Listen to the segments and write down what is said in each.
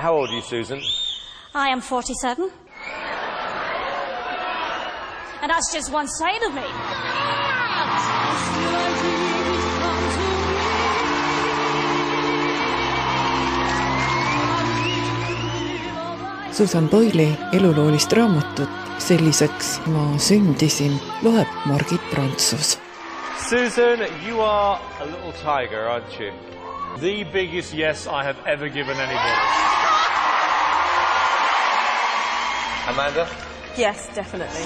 How old are you, Susan? I am 47. And that's just one side of me. Susan Boyle'i eluloolist raamatut Selliseks ma sündisin loeb Margit Prantsus. Susan, you are a little tiger, aren't you? The biggest yes I have ever given anybody. Amanda? Yes, definitely.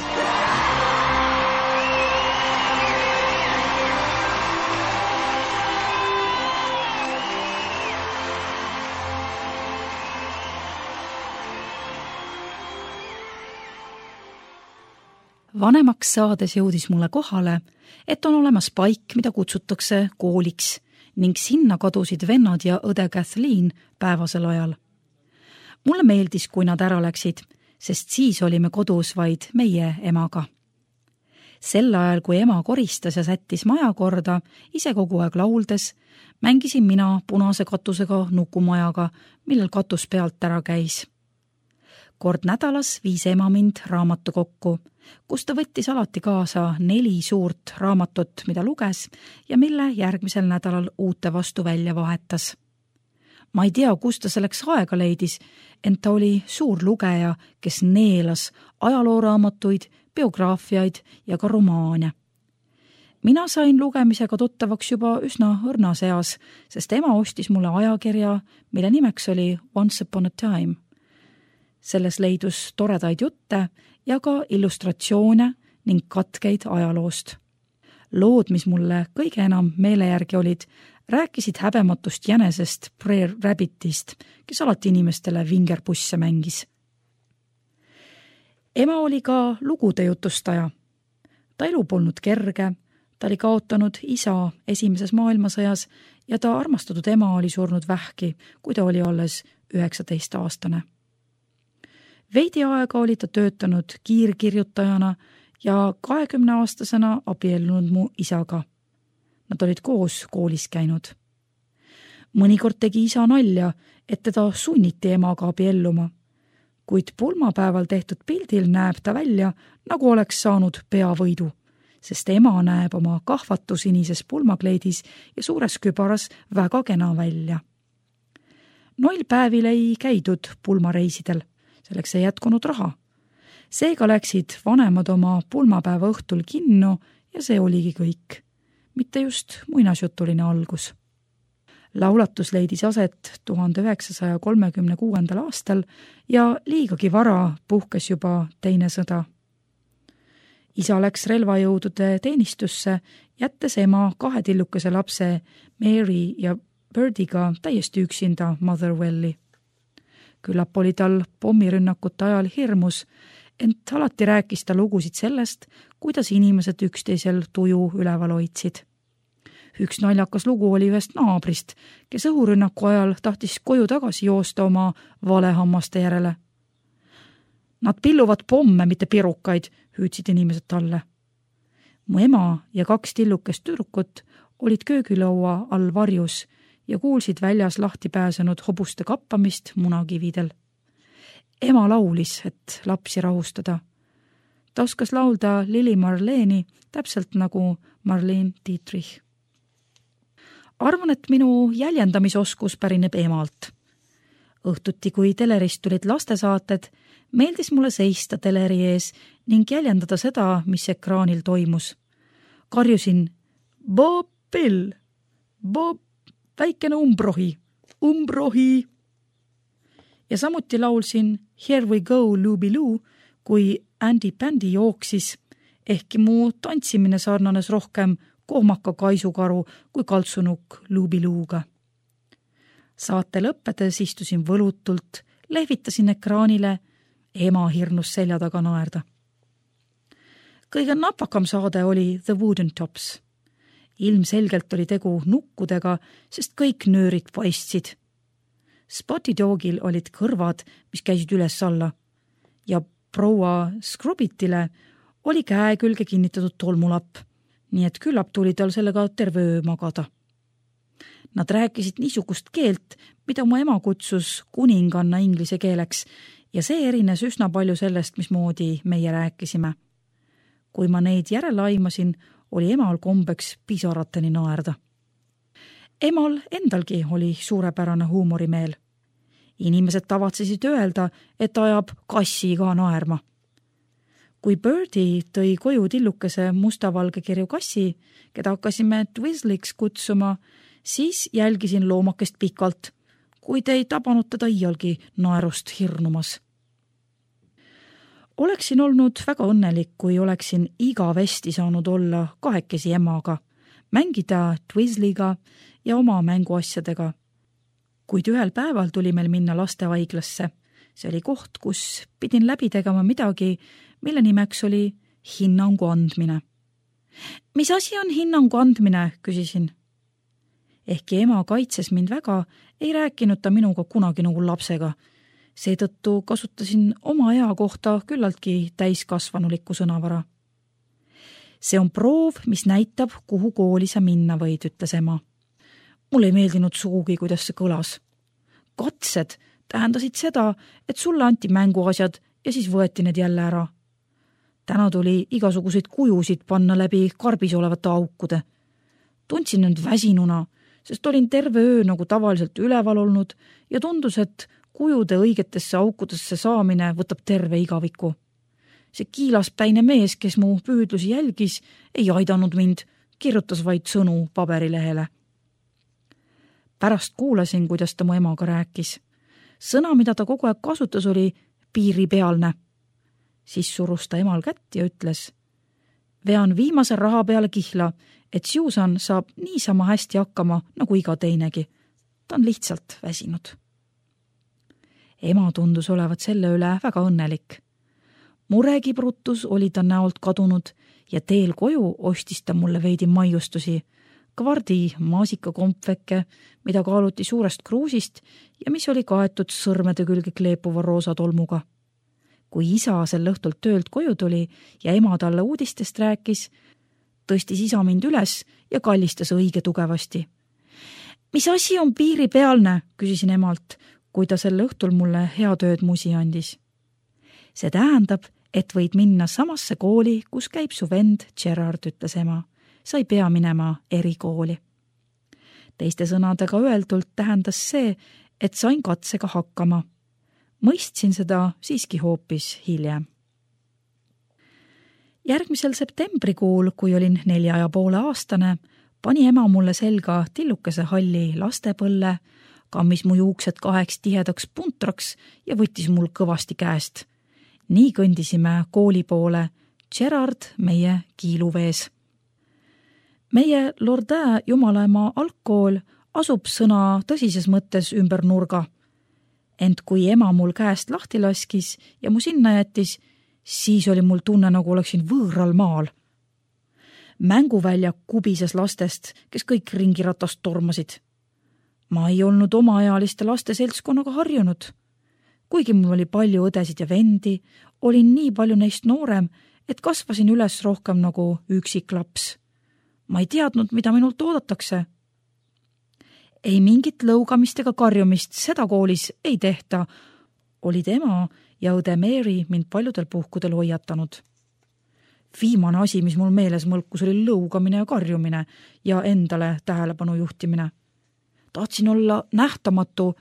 Vanemaks saades jõudis mulle kohale, et on olemas paik, mida kutsutakse kooliks ning sinna kadusid vennad ja õde Kathleen päevasel ajal. Mulle meeldis, kui nad ära läksid, sest siis olime kodus vaid meie emaga. Sel ajal, kui ema koristas ja sättis maja korda, ise kogu aeg lauldes, mängisin mina punase katusega nukumajaga, millel katus pealt ära käis. Kord nädalas viis ema mind raamatukokku, kus ta võttis alati kaasa 4 suurt raamatut, mida luges ja mille järgmisel nädalal uute vastu välja vahetas. Ma ei tea, kus ta selleks aega leidis, ent ta oli suur lugeja, kes neelas ajalooraamatuid, biograafiaid ja ka romaane. Mina sain lugemisega tuttavaks juba üsna õrnas eas, sest ema ostis mulle ajakirja, mille nimeks oli Once Upon a Time. Selles leidus toredaid jutte ja ka illustratsioone ning katkeid ajaloost. Lood, mis mulle kõige enam meele järgi olid, rääkisid häbematust jänesest Brer Rabbitist, kes alati inimestele vingerpusse mängis. Ema oli ka lugude jutustaja. Ta elu polnud kerge, ta oli kaotanud isa esimeses maailmasõjas ja ta armastatud ema oli surnud vähki, kui ta oli alles 19-aastane. Veidi aega oli ta töötanud kiirkirjutajana ja 20-aastasena abiellunud mu isaga. Nad olid koos koolis käinud. Mõnikord tegi isa nalja, et teda sunniti emaga abielluma, kuid pulmapäeval tehtud pildil näeb ta välja, nagu oleks saanud peavõidu, sest ema näeb oma kahvatusinises pulmakleidis ja suures kübaras väga kena välja. Noil päevil ei käidud pulmareisidel. Selleks ei jätkunud raha. Seega läksid vanemad oma pulmapäeva õhtul kinno ja see oligi kõik. Mitte just muinasjutuline algus. Laulatus leidis aset 1936. aastal ja liigagi vara puhkes juba teine sõda. Isa läks relvajõudude teenistusse, jättes ema 2 tillukese lapse Mary ja Birdiga täiesti üksinda Motherwelli. Küllap oli tal pommirünnakute ajal hirmus, ent alati rääkis ta lugusid sellest, kuidas inimesed üksteisel tuju üleval hoidsid. Üks naljakas lugu oli ühest naabrist, kes õhurünnaku ajal tahtis koju tagasi joosta oma valehammaste järele. Nad pilluvad pomme, mitte pirukaid, hüüdsid inimesed talle. Mu ema ja 2 tillukest tüdrukut olid köögilaua all varjus ja kuulsid väljas lahti pääsenud hobuste kappamist munakividel. Ema laulis, et lapsi rahustada. Ta oskas laulda Lili Marleeni täpselt nagu Marlene Dietrich. Arvan, et minu jäljendamisoskus pärineb emalt. Õhtuti, kui telerist tulid lastesaated, meeldis mulle seista teleri ees ning jäljendada seda, mis ekraanil toimus. Karjusin Bob Bill, Bob väikene umbrohi. Ja samuti laulsin Here we go, Looby-Loo, kui Andy Pandy jooksis, ehkki mu tantsimine sarnanes rohkem kohmaka kaisukaru kui kaltsunuk Looby-Looga. Saate lõppedes istusin võlutult, lehvitasin ekraanile, ema hirnus selja taga naerda. Kõige napakam saade oli The Wooden Tops. Ilmselgelt oli tegu nukkudega, sest kõik nöörid paistsid. Spotty Dogil olid kõrvad, mis käisid üles alla ja proua Scrubbitile oli käe külge kinnitatud tolmulapp, nii et küllap tuli tal sellega terve öö magada. Nad rääkisid niisugust keelt, mida mu ema kutsus kuninganna inglise keeleks ja see erines üsna palju sellest, mismoodi meie rääkisime. Kui ma neid järele aimasin, oli emal kombeks pisarateni naerda. Emal endalgi oli suurepärane huumorimeel. Inimesed tavatsesid öelda, et ajab kassi ka naerma. Kui Birdie tõi koju tillukese mustavalge kirju kassi, keda hakkasime Twizzliks kutsuma, siis jälgisin loomakest pikalt, kuid ei tabanud teda iialgi naerust hirnumas. Oleksin olnud väga õnnelik, kui oleksin igavesti saanud olla kahekesi emaga, mängida Twizzliga ja oma mänguasjadega. Kuid ühel päeval tuli meil minna lastehaiglasse. See oli koht, kus pidin läbi tegema midagi, mille nimeks oli hinnangu andmine. Mis asi on hinnangu andmine, küsisin. Ehkki ema kaitses mind väga, ei rääkinud ta minuga kunagi nagu lapsega. Seetõttu kasutasin oma ea kohta küllaltki täiskasvanulikku sõnavara. See on proov, mis näitab, kuhu kooli sa minna võid, ütles ema. Mulle ei meeldinud sugugi, kuidas see kõlas. Katsed tähendasid seda, et sulle anti mänguasjad ja siis võeti need jälle ära. Täna tuli igasuguseid kujusid panna läbi karbis olevate aukude. Tundsin end väsinuna, sest olin terve öö nagu tavaliselt üleval olnud ja tundus, et kujude õigetesse aukudesse saamine võtab terve igaviku. See kiilaspäine mees, kes mu püüdlusi jälgis, ei aidanud mind, kirjutas vaid sõnu paberilehele. Pärast kuulasin, kuidas ta mu emaga rääkis. Sõna, mida ta kogu aeg kasutas, oli piiripealne. Siis surus ta emal kätt ja ütles, vean viimase raha peale kihla, et Susan saab niisama hästi hakkama nagu iga teinegi. Ta on lihtsalt väsinud. Ema tundus olevat selle üle väga õnnelik. Murekibrutus oli ta näolt kadunud ja teel koju ostis ta mulle veidi maiustusi, kvardi maasikakompveke, mida kaaluti suurest kruusist ja mis oli kaetud sõrmede külge kleepuva roosa tolmuga. Kui isa sel õhtult töölt koju tuli ja ema talle uudistest rääkis, tõstis isa mind üles ja kallistas õige tugevasti. Mis asi on piiripealne, küsisin emalt, kui ta sel õhtul mulle heatööd musi andis. See tähendab, et võid minna samasse kooli, kus käib su vend Gerard, ütles ema. Sa ei pea minema erikooli. Teiste sõnadega öeldult tähendas see, et sain katsega hakkama. Mõistsin seda siiski hoopis hiljem. Järgmisel septembrikuul, kui olin 4,5-aastane, pani ema mulle selga tillukese halli lastepõlle, kammis mu juuksed 2 tihedaks puntraks ja võttis mul kõvasti käest. Nii kõndisime kooli poole, Gerard meie kiiluvees. Meie Lordin jumalaema algkool asub sõna tõsises mõttes ümber nurga. Ent kui ema mul käest lahti laskis ja mu sinna jättis, siis oli mul tunne, nagu oleksin võõral maal. Mänguväljak kubises lastest, kes kõik ringiratast tormasid. Ma ei olnud omaealiste laste seltskonnaga harjunud. Kuigi mul oli palju õdesid ja vendi, olin nii palju neist noorem, et kasvasin üles rohkem nagu üksik laps. Ma ei teadnud, mida minult oodatakse. Ei mingit lõugamist ega karjumist, seda koolis ei tehta, olid ema ja õde Mary mind paljudel puhkudel hoiatanud. Viimane asi, mis mul meeles mõlkus, oli lõugamine ja karjumine ja endale tähelepanu juhtimine. Tahtsin olla nähtamatu,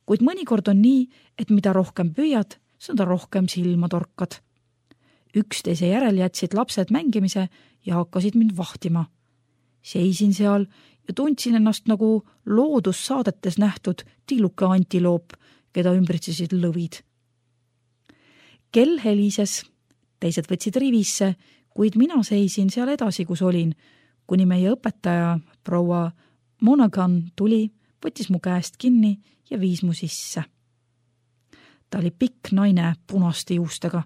kuid mõnikord on nii, et mida rohkem püüad, seda rohkem silma torkad. Üksteise järel jätsid lapsed mängimise ja hakkasid mind vahtima. Seisin seal ja tundsin ennast nagu loodussaadetes nähtud tilluke antiloop, keda ümbritsesid lõvid. Kell helises, teised võtsid rivisse, kuid mina seisin seal edasi, kus olin, kuni meie õpetaja, proua Monaghan tuli, võttis mu käest kinni ja viis mu sisse. Ta oli pikk naine punaste juustega.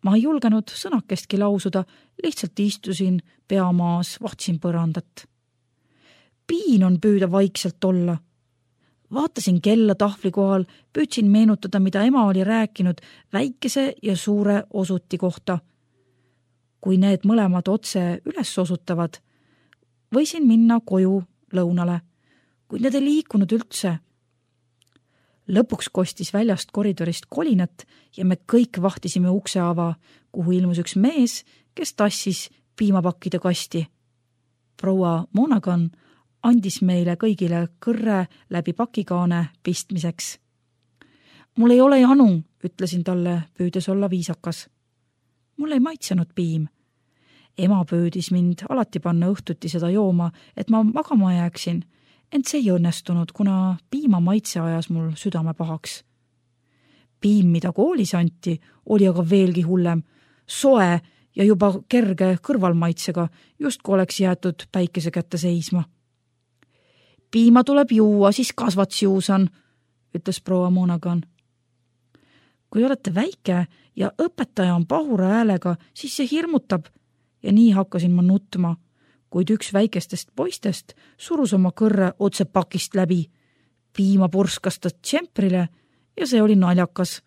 Ma ei julgenud sõnakestki lausuda, lihtsalt istusin peamaas, vahtsin põrandat. Piin on püüda vaikselt olla. Vaatasin kella tahvli kohal, püüdsin meenutada, mida ema oli rääkinud väikese ja suure osuti kohta. Kui need mõlemad otse üles osutavad, võisin minna koju lõunale, kuid need ei liikunud üldse. Lõpuks kostis väljast koridorist kolinat ja me kõik vahtisime ukse ava, kuhu ilmus üks mees, kes tassis piimapakkide kasti. Proua Monaghan andis meile kõigile kõrre läbi pakikaane pistmiseks. Mul ei ole janu, ütlesin talle, püüdes olla viisakas. Mul ei maitsenud piim. Ema püüdis mind alati panna õhtuti seda jooma, et ma magama jääksin, ent see ei õnnestunud, kuna piima maitse ajas mul südame pahaks. Piim, mida koolis anti, oli aga veelgi hullem, soe ja juba kerge kõrvalmaitsega, justku oleks jäetud päikese kätte seisma. Piima tuleb juua, siis kasvats juusan, ütles proua Monaghan. Kui olete väike ja õpetaja on pahura häälega, siis see hirmutab ja nii hakkasin ma nutma, kuid üks väikestest poistest surus oma kõrre otse pakist läbi. Piima purskas ta tšemprile ja see oli naljakas.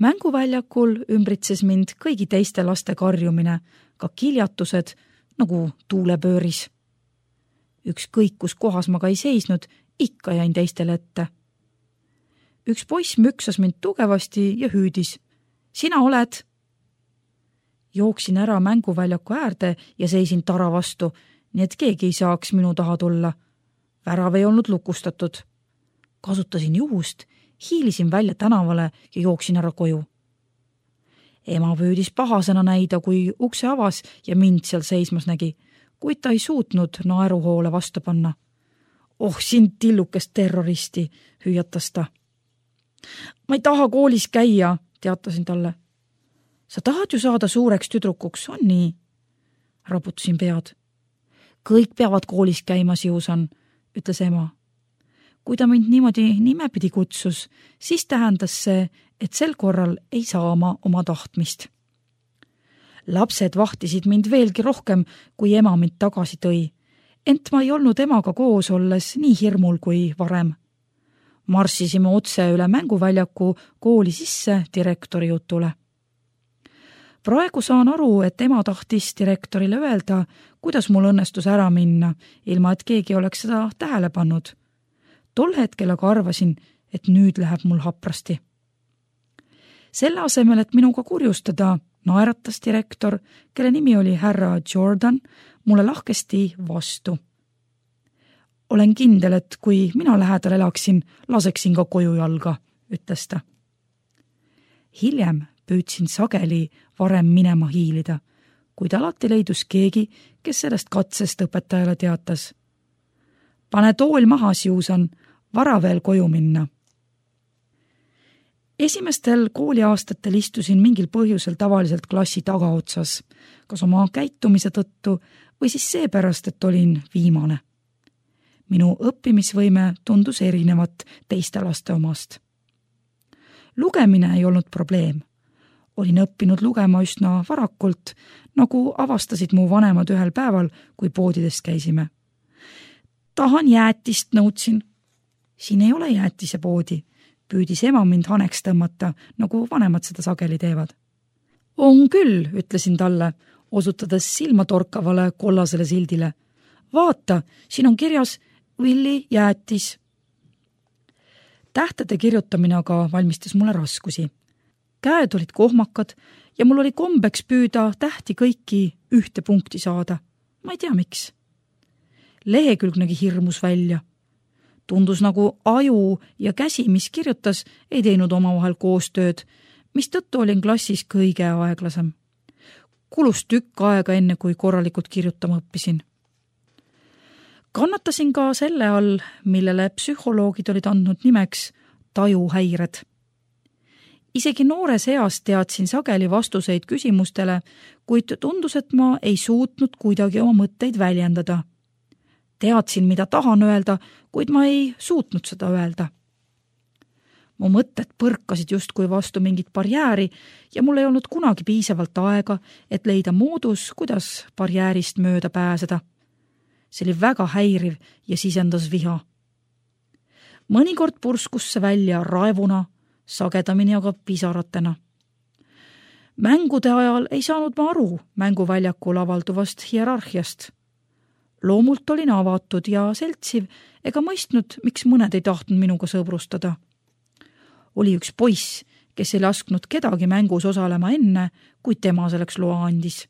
Mänguväljakul ümbritses mind kõigi teiste laste karjumine, ka kiljatused nagu tuulepööris. Ükskõik, kus kohas ma ka ei seisnud, ikka jäin teistele ette. Üks poiss müksas mind tugevasti ja hüüdis. Sina oled? Jooksin ära mänguväljaku äärde ja seisin tara vastu, nii et keegi ei saaks minu taha tulla. Värav ei olnud lukustatud. Kasutasin juhust, hiilisin välja tänavale ja jooksin ära koju. Ema püüdis pahasena näida, kui ukse avas ja mind seal seismas nägi, kuid ta ei suutnud naeruhoole vastu panna. Oh, sind tillukest terroristi, hüüatas ta. Ma ei taha koolis käia, teatasin talle. Sa tahad ju saada suureks tüdrukuks, on nii? Raputasin pead. Kõik peavad koolis käima, Siusan, ütles ema. Kui ta mind niimoodi nimepidi kutsus, siis tähendas see, et sel korral ei saa ma oma tahtmist. Lapsed vahtisid mind veelgi rohkem, kui ema mind tagasi tõi, ent ma ei olnud emaga koos olles nii hirmul kui varem. Marssisime otse üle mänguväljaku kooli sisse direktori jutule. Praegu saan aru, et ema tahtis direktorile öelda, kuidas mul õnnestus ära minna, ilma et keegi oleks seda tähele pannud. Tol hetkel aga arvasin, et nüüd läheb mul haprasti. Selle asemel, et minuga kurjustada, naeratas direktor, kelle nimi oli härra Jordan, mulle lahkesti vastu. Olen kindel, et kui mina lähedal elaksin, laseksin ka koju jalga, ütles ta. Hiljem püüdsin sageli varem minema hiilida, kuid alati leidus keegi, kes sellest katsest õpetajale teatas. Pane tool maha, Siusan, vara veel koju minna. Esimestel kooliaastatel istusin mingil põhjusel tavaliselt klassi tagaotsas, kas oma käitumise tõttu või siis seepärast, et olin viimane. Minu õppimisvõime tundus erinevat teiste laste omast. Lugemine ei olnud probleem. Olin õppinud lugema üsna varakult, nagu avastasid mu vanemad ühel päeval, kui poodidest käisime. Tahan jäätist, nõudsin. Siin ei ole jäätisepoodi, püüdis ema mind haneks tõmmata, nagu vanemad seda sageli teevad. On küll, ütlesin talle, osutades silmatorkavale kollasele sildile. Vaata, siin on kirjas Willi jäätis. Tähtede kirjutamine aga valmistas mulle raskusi. Käed olid kohmakad ja mul oli kombeks püüda tähti kõiki ühte punkti saada. Ma ei tea, miks. Lehekülg nägi hirmus välja. Tundus nagu aju ja käsi, mis kirjutas, ei teinud omavahel koostööd, mis tõttu olin klassis kõige aeglasem. Kulus tükk aega enne, kui korralikult kirjutama õppisin. Kannatasin ka selle all, millele psühholoogid olid andnud nimeks tajuhäired. Isegi noores eas teadsin sageli vastuseid küsimustele, kuid tundus, et ma ei suutnud kuidagi oma mõtteid väljendada. Teadsin, mida tahan öelda, kuid ma ei suutnud seda öelda. Mu mõtted põrkasid justkui vastu mingit barjääri ja mul ei olnud kunagi piisavalt aega, et leida moodus, kuidas barjäärist mööda pääseda. See oli väga häiriv ja sisendas viha. Mõnikord purskus see välja raevuna, sagedamini aga pisaratena. Mängude ajal ei saanud ma aru mänguväljakul avalduvast hierarhiast. Loomult olin avatud ja seltsiv ega mõistnud, miks mõned ei tahtnud minuga sõbrustada. Oli üks poiss, kes ei lasknud kedagi mängus osalema enne, kui tema selleks loa andis.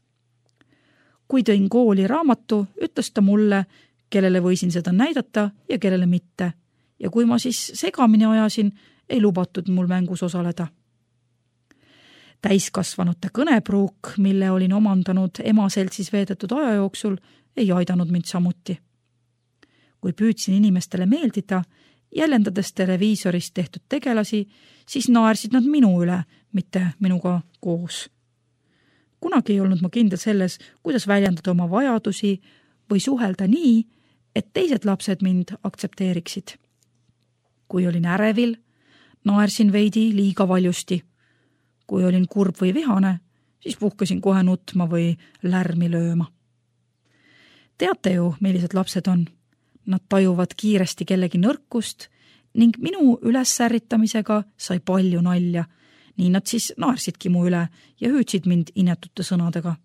Kui tõin kooli raamatu, ütles ta mulle, kellele võisin seda näidata ja kellele mitte. Ja kui ma siis segamini ajasin, ei lubatud mul mängus osaleda. Täiskasvanute kõnepruuk, mille olin omandanud ema seltsis veedetud aja jooksul, ei aidanud mind samuti. Kui püüdsin inimestele meeldida, jäljendades televiisorist tehtud tegelasi, siis naersid nad minu üle, mitte minuga koos. Kunagi ei olnud ma kindel selles, kuidas väljendada oma vajadusi või suhelda nii, et teised lapsed mind aktsepteeriksid. Kui olin ärevil, naersin veidi liiga valjusti. Kui olin kurb või vihane, siis puhkasin kohe nutma või lärmi lööma. Teate ju, millised lapsed on? Nad tajuvad kiiresti kellegi nõrkust ning minu ülessärritamisega sai palju nalja. Nii nad siis naersidki mu üle ja hüüdsid mind inetute sõnadega.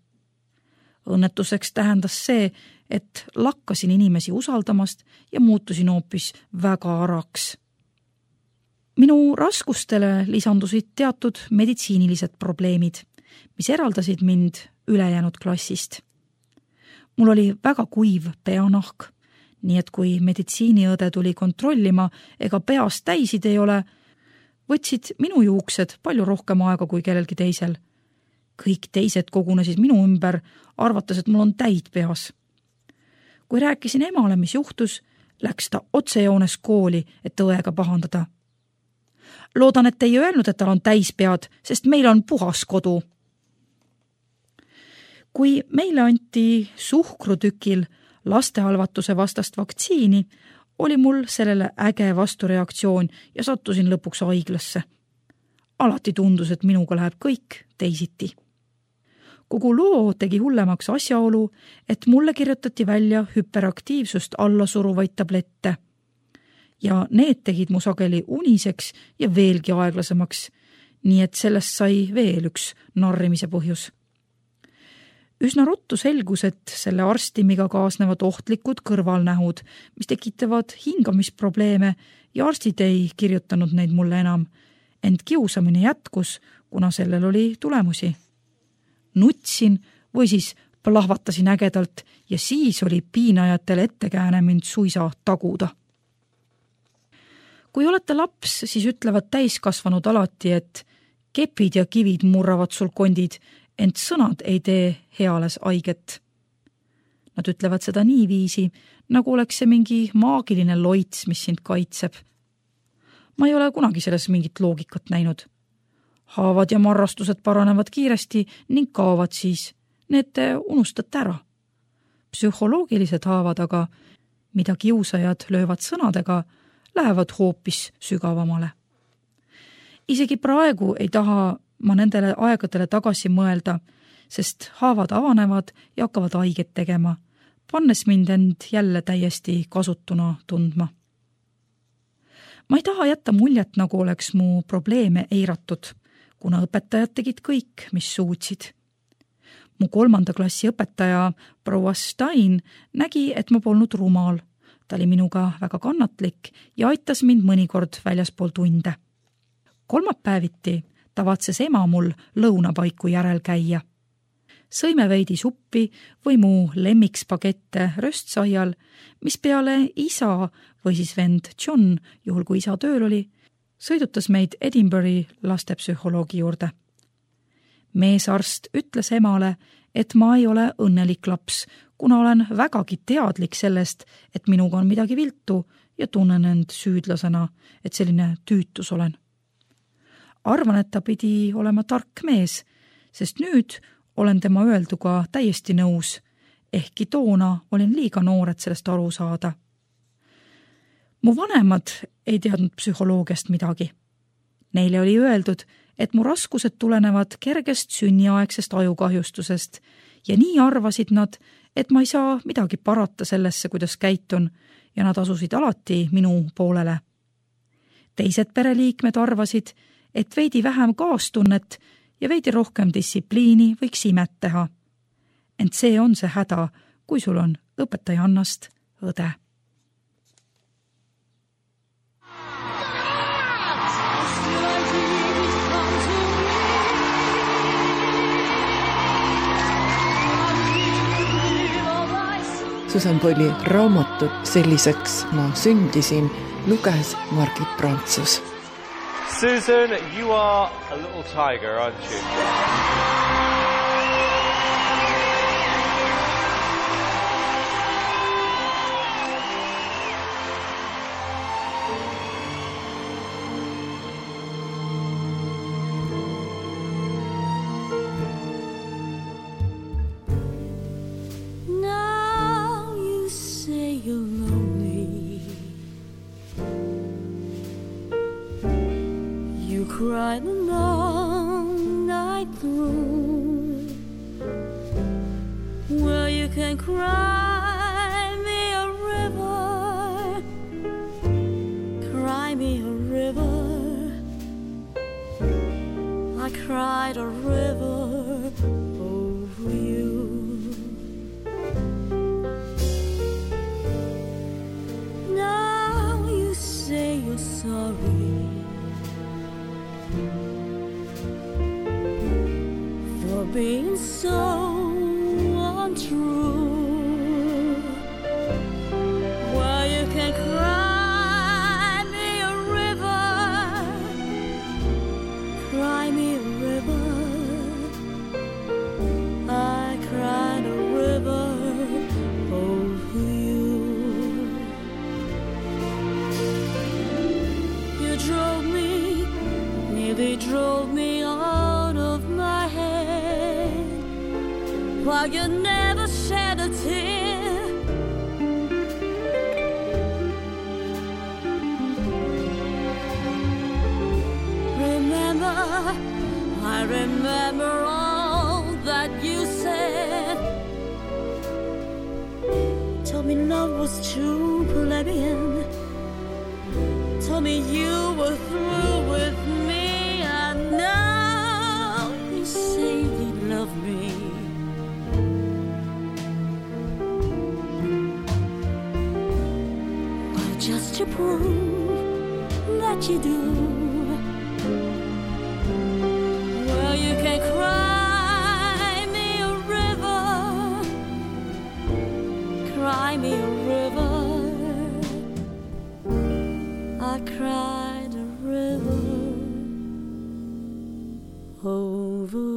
Õnnetuseks tähendas see, et lakkasin inimesi usaldamast ja muutusin hoopis väga araks. Minu raskustele lisandusid teatud meditsiinilised probleemid, mis eraldasid mind ülejäänud klassist. Mul oli väga kuiv peanahk, nii et kui meditsiiniõde tuli kontrollima ega peast täisid ei ole, võtsid minu juuksed palju rohkem aega kui kellelgi teisel. Kõik teised kogunesid minu ümber, arvates, et mul on täid peas. Kui rääkisin emale, mis juhtus, läks ta otsejoones kooli, et õega pahandada. Loodan, et ei öelnud, et tal on täispead, sest meil on puhas kodu. Kui meile anti suhkrutükil lastehalvatuse vastast vaktsiini, oli mul sellele äge vastureaktsioon ja sattusin lõpuks haiglasse. Alati tundus, et minuga läheb kõik teisiti. Kogu loo tegi hullemaks asjaolu, et mulle kirjutati välja hüperaktiivsust alla suruvaid tablette. Ja need tegid mu sageli uniseks ja veelgi aeglasemaks, nii et sellest sai veel üks narrimise põhjus. Üsna ruttu selgus, et selle arstimiga kaasnevad ohtlikud kõrvalnähud, mis tekitavad hingamisprobleeme ja arstid ei kirjutanud neid mulle enam, ent kiusamine jätkus, kuna sellel oli tulemusi. Nutsin või siis plahvatasin ägedalt ja siis oli piinajatel ettekääne mind suisa taguda. Kui olete laps, siis ütlevad täiskasvanud alati, et kepid ja kivid murravad sul kondid, ent sõnad ei tee heales haiget. Nad ütlevad seda niiviisi, nagu oleks see mingi maagiline loits, mis sind kaitseb. Ma ei ole kunagi selles mingit loogikat näinud. Haavad ja marrastused paranevad kiiresti ning kaovad siis. Need te unustate ära. Psühholoogilised haavad aga, mida kiusajad löövad sõnadega, lähevad hoopis sügavamale. Isegi praegu ei taha ma nendele aegadele tagasi mõelda, sest haavad avanevad ja hakkavad haiget tegema, pannes mind end jälle täiesti kasutuna tundma. Ma ei taha jätta muljet, nagu oleks mu probleeme eiratud, kuna õpetajad tegid kõik, mis suutsid. Mu 3. klassi õpetaja proua Stein nägi, et ma polnud rumal. Ta oli minuga väga kannatlik ja aitas mind mõnikord väljaspool tunde. Kolmapäeviti tavatses ema mul lõunapaiku järel käia. Sõime veidi suppi või mu lemmikspagetте röstsaial, mis peale isa või siis vend John, juhul kui isa tööl oli, sõidutas meid Edinburghi lastepsühholoogi juurde. Meesarst ütles emale, et ma ei ole õnnelik laps, kuna olen vägagi teadlik sellest, et minuga on midagi viltu ja tunnen end süüdlasena, et selline tüütus olen. Arvan, et ta pidi olema tark mees, sest nüüd olen tema öelduga täiesti nõus, ehkki toona olin liiga noor, et sellest aru saada. Mu vanemad ei teadnud psühholoogiast midagi. Neile oli öeldud, et mu raskused tulenevad kergest sünniaegsest ajukahjustusest ja nii arvasid nad, et ma ei saa midagi parata sellesse, kuidas käitun ja nad asusid alati minu poolele. Teised pereliikmed arvasid, et veidi vähem kaastunnet ja veidi rohkem distsipliini võiks imet teha. Ent see on see häda, kui sul on õpetaja Annast õde. Susan Boyle'i raamatut Selliseks ma sündisin luges Margit Prantsus. Susan, you are a little tiger, aren't you? Cried the long night through. Well, you can cry me a river, cry me a river. I cried a river over you. Now you say you're sorry for being so untrue. Well, you can cry me a river, cry me a river. I cried a river over you. You drove me, nearly drove me out of my head, while you never shed a tear. Remember, I remember all that you said. Told me love was too plebeian, told me you were through with me, and now you say you love me. Well, just to prove that you do, well, you can cry me a river, cry me a river. I cried a river over